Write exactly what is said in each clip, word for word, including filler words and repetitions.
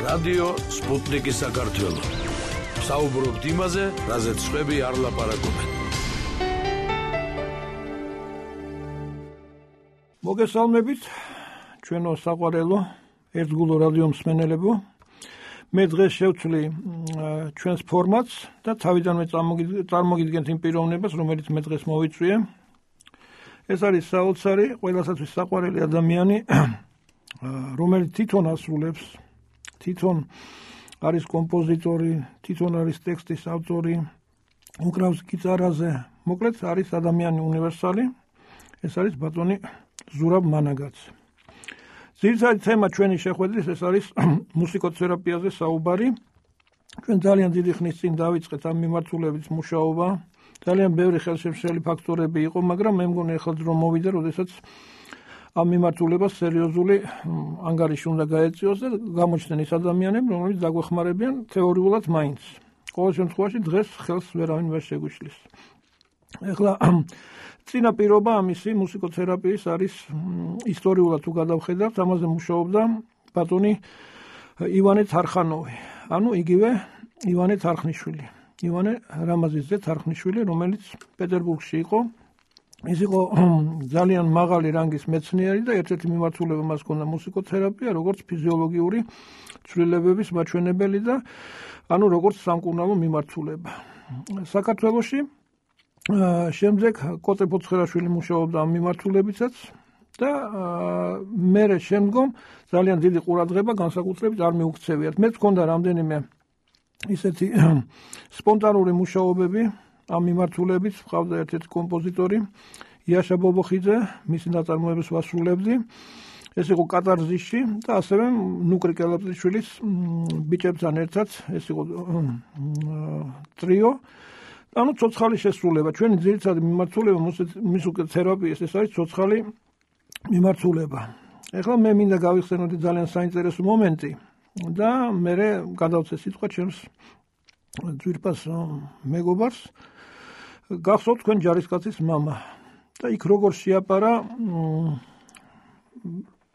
რადიო სპუტნიკი საქართველო. საუბრობთ იმაზე, რაზეც სხვები არ ლაპარაკობენ. მოგესალმებით, ჩვენო საყვარელო ერთგულო რადიო მსმენელებო. მე დღეს შევცვლი ჩვენს ფორმატს და თავიდანვე წარმოგიდგენთ იმ პიროვნებას, რომელიც მე დღეს მოვიწვიე. ეს არის საოცარი, ყველასათვის საყვარელი ადამიანი, რომელიც თვითონ ასრულებს, თვითონ არის კომპოზიტორი, თვითონ არის ტექსტის ავტორი, უკრავს გიტარაზე, მოკლედ არის ადამიანი უნივერსალი. ეს არის ბატონი ზურაბ მანაგაცი. ძირითადი თემა ჩვენი შეხვედრის ეს არის მუსიკოთერაპიაზე საუბარი. ჩვენ ძალიან დიდი ხნის წინ დავიწყეთ ამ მიმართულებით მუშაობა. ძალიან ბევრი ხელშემშლელი ფაქტორები იყო, მაგრამ მე მგონი ახლა დრო მოვიდა, როდესაც ამ მიმართულებას სერიოზული ანგარიში უნდა გაეწიოს და გამოჩნდნენ ის ადამიანები, რომლებიც დაგვეხმარებიან თეორიულად მაინც. ყოველ შემთხვევაში დღეს ხელს ვერავინ ვერ შეგვიშლის. ეხლა წინა პირობა ამისი მუსიკოთერაპიის არის ისტორიულად თუ გადავხედავთ, ამაზე მუშაობდა ბატონი ივანე თარხანოვი, ანუ იგივე ივანე თარხნიშვილი. ივანე რამაზიძე თარხნიშვილი, რომელიც პეტერბურგში იყო. ის იყო ძალიან მაღალი რანგის მეცნიერი და ერთ-ერთი მიმართულება მას ჰქონდა მუსიკოთერაპია, როგორც ფიზიოლოგიური ცვლილებების მაჩვენებელი და ანუ როგორც სამკურნალო მიმართულება. საქართველოში შემდეგ კოტე ფოცხერაშვილი მუშაობდა ამ მიმართულებითაც და მერე შემდგომ ძალიან დიდი ყურადღება განსაკუთრებით არ მიუქცევიათ. მე მქონდა რამდენიმე ისეთი სპონტანური მუშაობები ამ მიმართულებით, ყავდა ერთ-ერთი კომპოზიტორი იაშა ბობოხიძე, მისი ნაწარმოებებს ვასრულებდი. ეს იყო კატარზისში და ასევე ნუკრი კელაპტიშვილის ბიჭებთან ერთად, ეს იყო ტრიო. ანუ ცოცხალი შესრულება. ჩვენი ძირითადი მიმართულება მუსიკოთერაპიის ეს არის ცოცხალი მიმართულება. ეხლა მე მინდა გავიხსენოთ ძალიან საინტერესო მომენტი და მე გადავცე სიტყვა ჩემს ძვირფას მეგობარს. გახსოვთ თქვენ ჯარისკაცის მამა და იქ როგორ შეაპარა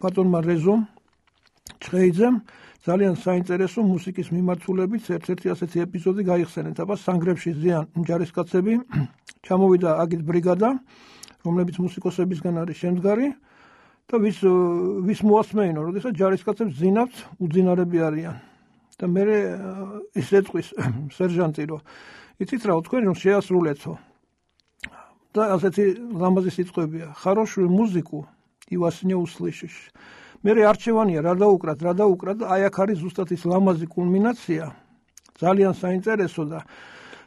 ბატონმა რეზომ ჩხეიძემ ძალიან საინტერესო მუსიკის მიმართულებით ერთ-ერთი ასეთი ეპიზოდი გაიხსენეთ. აბა სანგრებში ზიან ჯარისკაცები, ჩამოვიდა აგით ბრიგადა, რომლებიც მუსიკოსებისგან არის შემდგარი და ვის ვის მოასმეინო, როდესაც ჯარისკაცებს ზინავთ, უძინარები არიან. და მე ის ეტყვის სერჟანტი, რომ იცით რა, თქვენ რომ შეასრულეთო. და ასეთი ლამაზი სიტყვებია. Хорошую музыку и во сне услышишь. მე არჩევანია რა დაუკრათ, რა დაუკრათ და აი აქ არის ზუსტად ის ლამაზი კულმინაცია. ძალიან საინტერესო და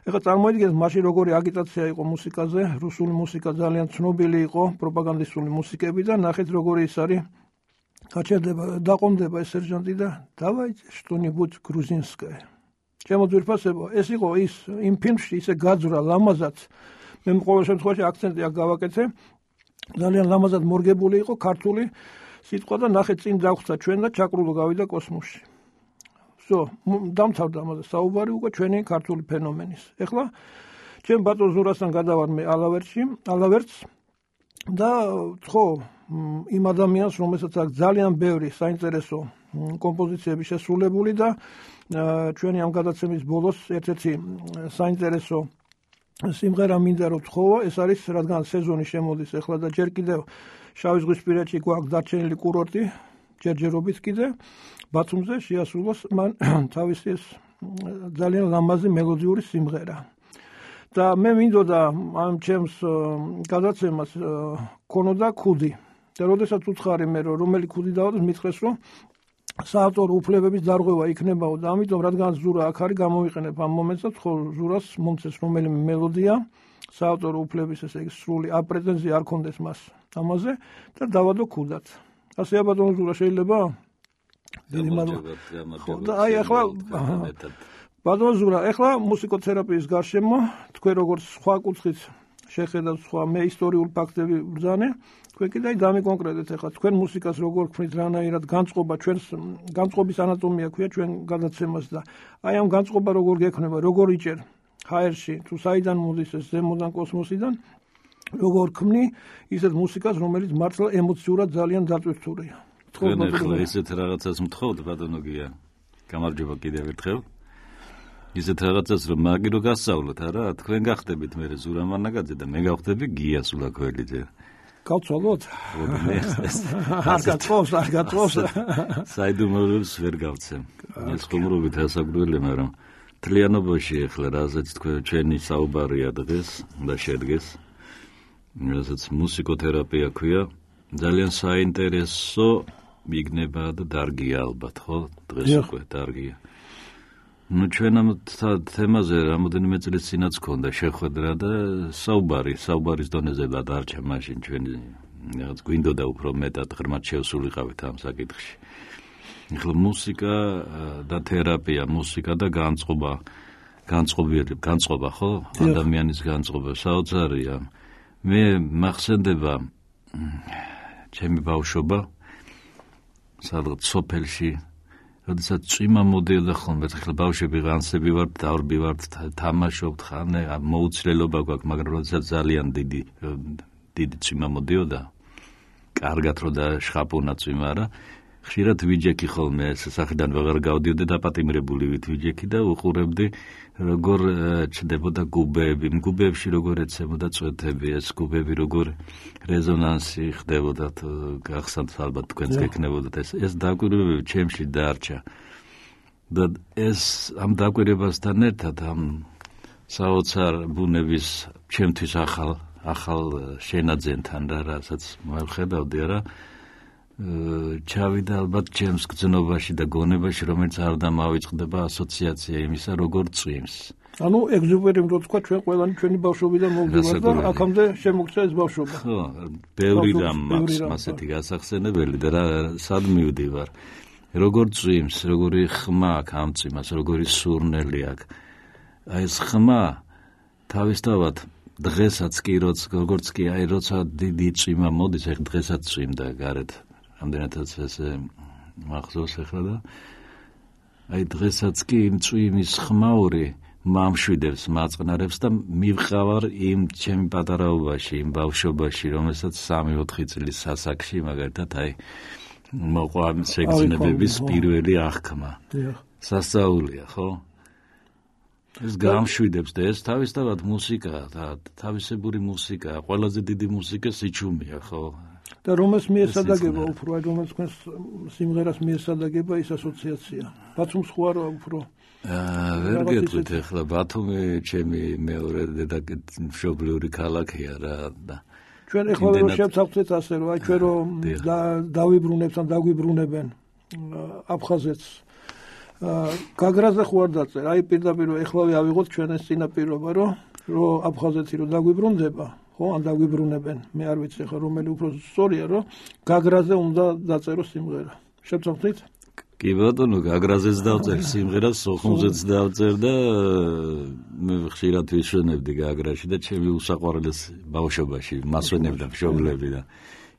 ეხლა წარმოიდგინეთ მაშინ როგორი აგიტაცია იყო მუსიკაზე, რუსული მუსიკა ძალიან ცნობილი იყო, პროპაგანდისტული მუსიკები და ნახეთ როგორი ის არის. გაჩერდება, დაყომდება ეს სერჟანტი და დავაიჭე что-нибудь грузинское. ჩემო ძვირფასებო, ეს იყო ის იმ ფილმში ისე გაძვრა ლამაზად. მე ყოველ შემთხვევაში აქცენტი აქ გავაკეთე. ძალიან ლამაზად მორგებული იყო ქართული სიტყვა და ნახეთ წინ დაგვხსა ჩვენ და ჩაკრულო გავიდა კოსმოსში. ვსო, დამთავრდა ამაზე საუბარი უკვე ჩვენი ქართული ფენომენის. ეხლა ჩემ ბატონ ზურასთან გადავარ მე ალავერტში, ალავერტს და ხო იმ ადამიანს, რომელსაც აქვს ძალიან ბევრი საინტერესო კომპოზიციები შესრულებული და ჩვენი ამ გადაცემის ბოლოს ერთ-ერთი საინტერესო სიმღერა მინდა რომ თხოვა, ეს არის რადგან სეზონი შემოდის ეხლა და ჯერ კიდევ შავიზღვისპირეთში გვაქვს დარჩენილი კურორტი, ჯერჯერობით კიდე ბათუმზე შეასრულოს მან თავისი ეს ძალიან ლამაზი მელოდიური სიმღერა. და მე მინდოდა ამ ჩემს გადაცემას ქონოდა ქუდი. და როდესაც უცხარი მე რომ რომელი ქუდი დავადეს, მითხრეს რომ საავტორო უფლებების დარღვევა იქნებაო და ამიტომ რადგან ზურა აქ არის გამოვიყენებ ამ მომენტს და ხო ზურას მომცეს რომელიმე მელოდია საავტორო უფლების ესე იგი სრული აპრეტენზია არ კონდეს მას ამაზე და დავადო ქუდად. ასე აბატონო ზურა შეიძლება? დიდი მადლობა. და აი ახლა ბატონო ზურა, ახლა მუსიკოთერაპიის გარშემო თქვენ როგორც სხვა კუთხით შეხედავთ სხვა მე ისტორიულ ფაქტები ბრძანე, თქვენ კიდე დამიკონკრეტეთ ახლა თქვენ მუსიკას როგორ ქმნით, რანაირად განწყობა ჩვენს განწყობის ანატომია ქვია ჩვენ გადაცემას და აი ამ განწყობა როგორ გექნება, როგორ იჭერ ჰაერში თუ საიდან მოდის ეს ზემოდან კოსმოსიდან როგორ ქმნი ისეთ მუსიკას, რომელიც მართლა ემოციურად ძალიან დატვირთულია. თქვენ ახლა ესეთ რაღაცას მთხოვთ ბატონო გია. გამარჯობა კიდევ ერთხელ. ისეთ რაღაცას რომ მაგი რო გასწავლოთ, არა, თქვენ გახდებით მე ზურა მანაგაძე და მე გავხდები გია სულაკველიძე. გავცვალოთ? არ გაწოვს, არ გაწოვს. საიდუმლოებს ვერ გავცემ. ეს ხუმრობით ასაგრელი, მაგრამ თლიანობაში ახლა რასაც თქვენ ჩვენი საუბარია დღეს და შედგეს. რასაც მუსიკოთერაპია ქვია, ძალიან საინტერესო მიგნება და დარგია ალბათ, ხო? დღეს უკვე დარგია. ну ჩვენ ამ თემაზე რამოდენიმე წლის წინაც ქონდა შეხვედრა და საუბარი, საუბარის დონეზე დარჩა მაშინ ჩვენ რაღაც გვინდოდა უფრო მეტად ღრმად შევსულიყავით ამ საკითხში. ეხლა მუსიკა და თერაპია, მუსიკა და განწყობა, განწყობილი, განწყობა, ხო? ადამიანის განწყობა საოცარია. მე მახსენდება ჩემი ბავშვობა სადღაც სოფელში როდესაც წვიმა მოდიოდა ხოლმე, ახლა ბავშვები ღანსები ვართ, დავრბი ვართ, თამაშობთ, ხანე მოუცლელობა გვაქვს, მაგრამ როდესაც ძალიან დიდი დიდი წვიმა მოდიოდა, კარგად რო და შხაპუნა წვიმა რა, ხშირად ვიჯექი ხოლმე სასახლიდან ვეღარ გავდიოდი და პატიმრებული ვით ვიჯექი და უყურებდი როგორ ჩნდებოდა გუბეები, გუბეებში როგორ ეცემოდა წვეთები, ეს გუბეები როგორ რეზონანსი ხდებოდა, გახსოვთ ალბათ თქვენს გექნებოდათ ეს ეს დაკვირვებები ჩემში დარჩა. და ეს ამ დაკვირვებასთან ერთად ამ საოცარ ბუნების ჩემთვის ახალ ახალ შენაძენთან რა, რასაც მოვხედავდი რა, ჩავიდა ალბათ ჩემს გზნობაში და გონებაში, რომელიც არ დამავიწყდება ასოციაცია იმისა, როგორ წვიმს. ანუ ეგზუპერიმ რო თქვა, ჩვენ ყველანი ჩვენი ბავშვობიდან მოვდივართ და აქამდე შემოგცა ეს ბავშვობა. ხო, ბევრი რამ მაქვს ასეთი გასახსენებელი და რა სად მივდივარ. როგორ წვიმს, როგორი ხმა აქვს ამ წვიმას, როგორი სურნელი აქვს. აი ეს ხმა თავისთავად დღესაც კი როგორც კი აი როცა დიდი წვიმა მოდის, ეხ დღესაც წვიმდა გარეთ. ამდენადაც ესე მახსოვს ახლა და აი დღესაც კი იმ წვიმის ხმაური მამშვიდებს, მაწყნარებს და მივყავარ იმ ჩემი პატარაობაში, იმ ბავშვობაში, რომელსაც სამი ოთხი წლის სასაკში მაგალითად აი მოყვა შეგრძნებების პირველი აღქმა. სასწაულია, ხო? ეს გამშვიდებს და ეს თავისთავად მუსიკაა და თავისებური მუსიკაა, ყველაზე დიდი მუსიკა სიჩუმეა, ხო? და რომელს მიესადაგება უფრო, აი რომელს თქვენს სიმღერას მიესადაგება ის ასოციაცია. ბათუმს ხო არა უფრო? აა ვერ გეტყვით ახლა ბათუმი ჩემი მეორე მშობლიური ქალაქია რა და ჩვენ ახლა რომ შევცავთ ასე რომ აი ჩვენ რომ დავიბრუნებთ ან დაგვიბრუნებენ აფხაზეთს გაგრაზე ხო არ დაწერ, აი პირდაპირ ეხლავე ავიღოთ ჩვენ ეს წინაპირობა რომ რომ აფხაზეთი რომ დაგვიბრუნდება, ხო, ან დაგვიბრუნებენ, მე არ ვიცი ხა რომელი უფრო სწორია, რომ გაგრაზე უნდა დაწერო სიმღერა. შევცავთ? კი ბატონო, გაგრაზეც დავწერ სიმღერას, სოხუმზეც დავწერ და მე ხშირად ვიშვენებდი გაგრაში და ჩემი უსაყვარლეს ბავშვობაში მასვენებდა მშობლები და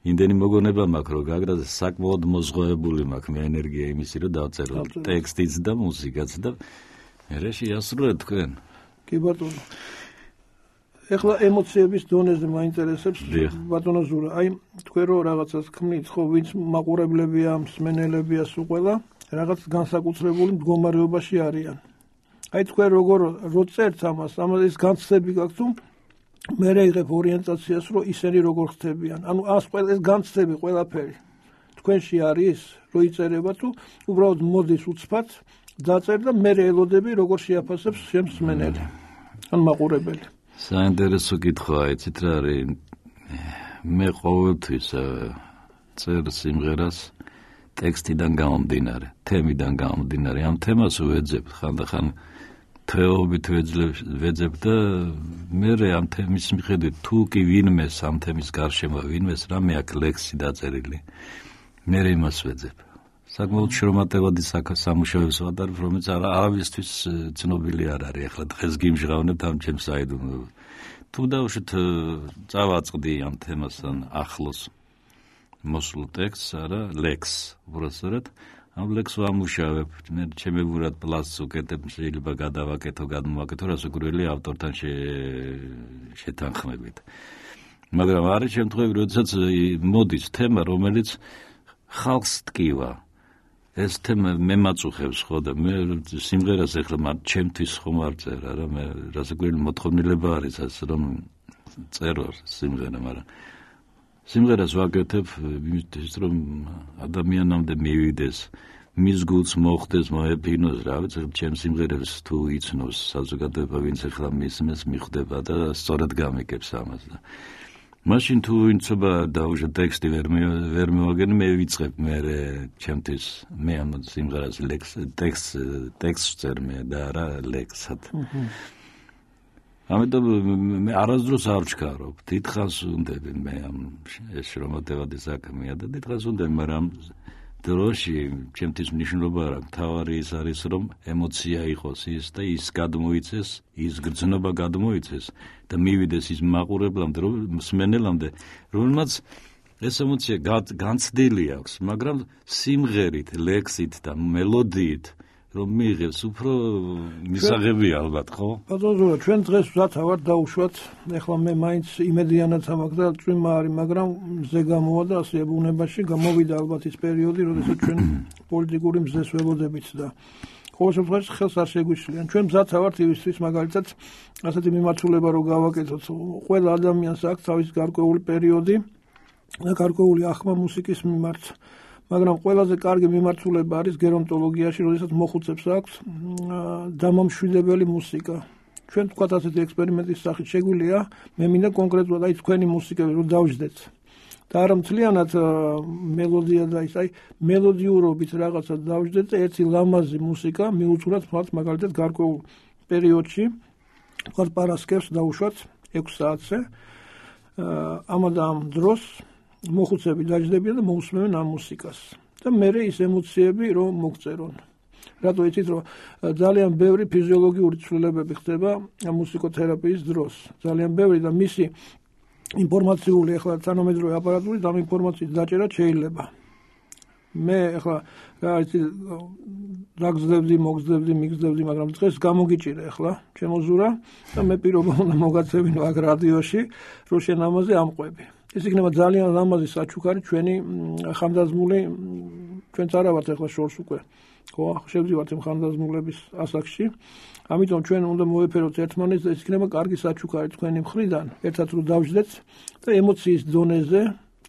იმდენი მოგონება მაქვს, რომ გაგრაზე საკმაოდ მოზღოებული მაქვს მე ენერგია იმისი, რომ დავწერო ტექსტიც და მუსიკაც და მე შეასრულეთ თქვენ. კი ბატონო. ეხლა ემოციების დონეზე მაინტერესებს ბატონო ზურა, აი თქვენ რო რაღაცას ქმნით, ხო, ვინც მაყურებლებია, მსმენელებია სულ ყველა, რაღაც განსაკუთრებული მდგომარეობაში არიან. აი თქვენ როგორ რო წერთ ამას, ამას განცდები გაქვთ თუ მე რეიღებ ორიენტაციას, რომ ისინი როგორ ხდებიან. ანუ ას ყველა ეს განცდები ყველაფერი თქვენში არის, რო იწერება თუ უბრალოდ მოდის უცბად, დაწერ და მე ელოდები როგორ შეაფასებს შემს მსმენელი. ან მაყურებელი. საინტერესო კითხვაა, იცით რა არის? მე ყოველთვის წერ სიმღერას ტექსტიდან გამომდინარე, თემიდან გამომდინარე. ამ თემას ვეძებ ხანდახან თეობით ვეძებ და მე ამ თემის მიხედვით თუ კი ვინმეს ამ თემის გარშემო ვინმეს რამე აქვს ლექსი დაწერილი, მე იმას ვეძებ. საკმაოდ შრომატევადი სამუშაოებს ვატარებ, რომელიც არავისთვის ცნობილი არ არის. ახლა დღეს გიმჟღავნებთ ამ ჩემს საიდუმლოებას. თუ დავუშვით წავაწყდი ამ თემასთან ახლოს მოსულ ტექსტს, არა, ლექსს, უბრალოდ ამ ლექსს ვამუშავებ. მე ჩემებურად პლასს უკეთებ, შეიძლება გადავაკეთო, გადმოვაკეთო რასაკვირველი ავტორთან შეთანხმებით. მაგრამ არის შემთხვევები, როდესაც მოდის თემა, რომელიც ხალხს ტკივა. ეს თემა მე მაწუხებს ხო და მე სიმღერას ეხლა მათ ჩემთვის ხომ არ წერა რა მე რასაც გველი მოთხოვნილება არის ასე რომ წერო სიმღერა მაგრამ სიმღერას ვაკეთებ იმისთვის რომ ადამიანამდე მივიდეს მის გულს მოხდეს მოეფინოს რა ვიცი ჩემ სიმღერებს თუ იცნობს საზოგადოება ვინც ეხლა მისმენს მიხვდება და სწორად გამიკებს ამას და მაშინ თუ ინცობა დაუჟე ტექსტი ვერ ვერ მოვაგენ მე ვიწყებ მე ჩემთვის მე ამ სიმღერას ლექს ტექსტ ტექსტ წერ მე და რა ლექსად ამიტომ მე არასდროს არ ვჩქარობ დიდხანს უნდები მე ამ ეს შრომატევადი საქმეა და დიდხანს უნდები მაგრამ დროში ჩემთვის მნიშვნელობა არ აქვს თავარი ის არის რომ ემოცია იყოს ის და ის გადმოიცეს ის გრძნობა გადმოიცეს და მივიდეს ის მაყურებლამდე რომ მსმენელამდე რომელმაც ეს ემოცია განცდილი აქვს მაგრამ სიმღერით ლექსით და მელოდიით რომ მიიღებს უფრო მისაღები ალბათ ხო ბატონო ჩვენ დღეს ვზათ ვარ დაუშვათ ეხლა მე მაინც იმედიანად ამაქვს და წვიმა არის მაგრამ მზე გამოვა და ასე ბუნებაში გამოვიდა ალბათ ის პერიოდი როდესაც ჩვენ პოლიტიკური მზეს ველოდებით და ყოველ შემთხვევაში ხელს არ შეგვიშლიან ჩვენ ვზათ ვართ იმისთვის მაგალითად ასეთი მიმართულება რომ გავაკეთოთ ყველა ადამიანს აქვს თავის გარკვეული პერიოდი და გარკვეული ახმა მუსიკის მიმართ მაგრამ ყველაზე კარგი მიმართულება არის გერონტოლოგიაში, როდესაც მოხუცებს აქვს დამამშვიდებელი მუსიკა. ჩვენ თქვათ ასეთი ექსპერიმენტის სახით შეგვიძლია, მე მინდა კონკრეტულად აი თქვენი მუსიკები რომ დავждეთ. და არა მთლიანად მელოდია და ის აი მელოდიურობით რაღაცა დავждეთ და ერთი ლამაზი მუსიკა მიუძღვრათ მათ მაგალითად გარკვეულ პერიოდში, თქვათ პარასკევს დავუშვათ ექვს საათზე. ამადამ დროს მოხუცები დაждდებიან და მოусმენენ ამ მუსიკას და მე ის ემოციები რომ მოგწერონ. რატო იცით რომ ძალიან ბევრი ფიზიოლოგიური ცვლილებები ხდება მუსიკოთერაპიის დროს. ძალიან ბევრი და მისი ინფორმაციული ახლა თანამედროვე აპარატურით ამ ინფორმაციის დაჭერა შეიძლება. მე ახლა რა იცი დაგზდებდი, მოგზდებდი, მიგზდებდი, მაგრამ დღეს გამოგიჭირე ახლა ჩემო ზურა და მე პირობა უნდა მოგაცევინო აქ რადიოში, რომ შენ ამაზე ამყვები. ეს იქნება ძალიან ლამაზი საჩუქარი ჩვენი ხანდაზმული ჩვენც არა ვართ ახლა შორს უკვე ხო შევდივართ იმ ხანდაზმულების ასაკში ამიტომ ჩვენ უნდა მოვეფეროთ ერთმანეთს და ეს იქნება კარგი საჩუქარი თქვენი მხრიდან ერთად რომ დავждეთ და ემოციის დონეზე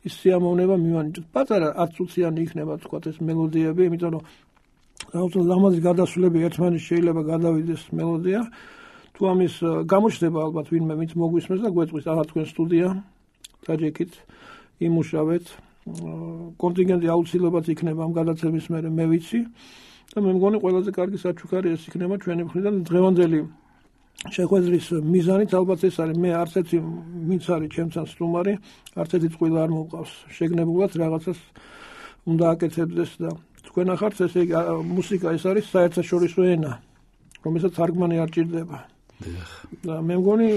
ის სიამოვნება მივანიჭოთ პატარა ათ წუთიანი იქნება თქვათ ეს მელოდიები იმიტომ რომ რაოდენობით ლამაზი გადასვლები ერთმანეთს შეიძლება გადავიდეს მელოდია თუ ამის გამოჩნდება ალბათ ვინმე ვინც მოგვისმენს და გვეტყვის ახლა თქვენ სტუდია დაჯექით იმუშავეთ კონტინგენტი აუცილებლად იქნება ამ გადაცემის მერე მე ვიცი და მე მგონი ყველაზე კარგი საჩუქარი ეს იქნება ჩვენი მხრიდან დღევანდელი შეხვედრის მიზანით ალბათ ეს არის მე არც ერთი ვინც არის ჩემთან სტუმარი არც ერთი წყვილი არ მომყავს შეგნებულად რაღაცას უნდა აკეთებდეს და თქვენ ახართ ესე მუსიკა ეს არის საერთაშორისო ენა რომელსაც თარგმანი არ ჭირდება და მე მგონი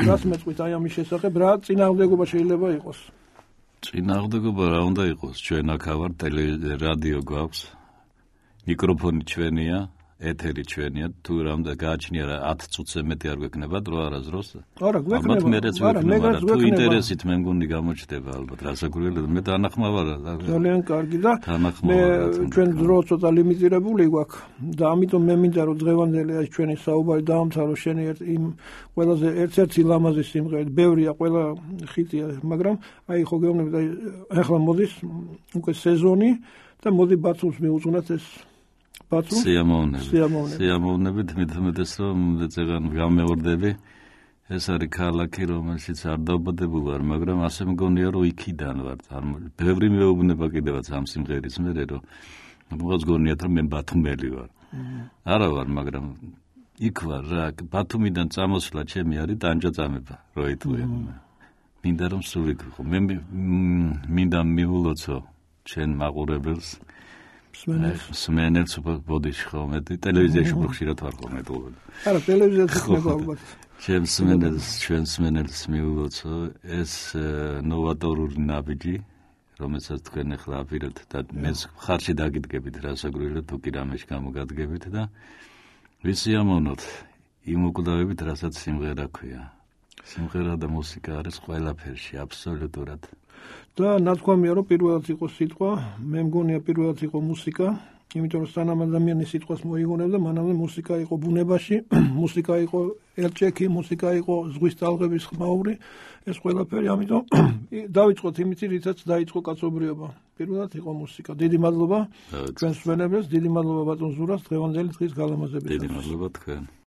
რას მეწყვით აი ამის შესახებ რა წინააღმდეგობა შეიძლება იყოს წინააღმდეგობა რა უნდა იყოს ჩვენ აქ ვარ რადიო გვაქვს მიკროფონი ჩვენია ეთერი ჩვენია თუ რამდა გააჩნია რა ათ წუთზე მეტი არ გვექნება დრო არასდროს არა გვექნება არა მე თუ ინტერესით მე მგონი გამოჩნდება ალბათ რასაკვირველია მე დანახმა ვარ ძალიან კარგი და მე ჩვენ დრო ცოტა ლიმიტირებული გვაქვს და ამიტომ მე მინდა რომ დღევანდელი ეს ჩვენი საუბარი დაამთავრო შენი იმ ყველაზე ერთ-ერთი ლამაზი სიმღერით ბევრია ყველა ხიტია მაგრამ აი ხო გეუბნებით აი ახლა მოდის უკვე სეზონი და მოდი ბათუმს მიუძღვნათ ეს სიამოვნებით სიამოვნებით მithmetes რომ წეგან გამეორდები ეს არის ქალაქი რომელშიც არ დაობადებული ვარ მაგრამ ასე მგონია რომ იქიდან ვარ ბევრი მეუბნება კიდევაც ამ სიმღერის მერე რომ მოღაც გონიათ რომ მე ბათუმელი ვარ არა ვარ მაგრამ იქ ვარ რა ბათუმიდან წამოსვლა ჩემი არის ტანჯაწამება რო იტყვია მინდა რომ სული გიყო მე მინდა მიულოცო ჩვენ მაყურებელს სმენელს ბოდიში ხოლმე ტელევიზიაში ხშირად ვარ ხოლმე თულ. არა ტელევიზიაში ხდება ალბათ. ჩემს სმენელს ჩვენ სმენელს მიულოცო ეს ნოვატორული ნაბიჯი რომელსაც თქვენ ახლა აპირებთ და მე ხარში დაგიდგებით რასაკვირველია თუ კი რამეში გამოგადგებით და ვისიამოვნოთ იმ უკლდავებით რასაც სიმღერა ქვია. სიმღერა და მუსიკა არის ყველაფერში აბსოლუტურად და ნათქვამია რომ პირველად იყო სიტყვა, მე მგონია პირველად იყო მუსიკა, იმიტომ რომ სანამ ადამიანი სიტყვას მოიგონებდა, მანამდე მუსიკა იყო ბუნებაში, მუსიკა იყო ელჭექი, მუსიკა იყო ზღვის ტალღების ხმაური, ეს ყველაფერი, ამიტომ დავიწყოთ იმით, რითაც დაიწყო კაცობრიობა. პირველად იყო მუსიკა. დიდი მადლობა ჩვენს მშვენებელს, დიდი მადლობა ბატონ ზურას დღევანდელი დღის გალამაზებით. დიდი მადლობა თქვენ.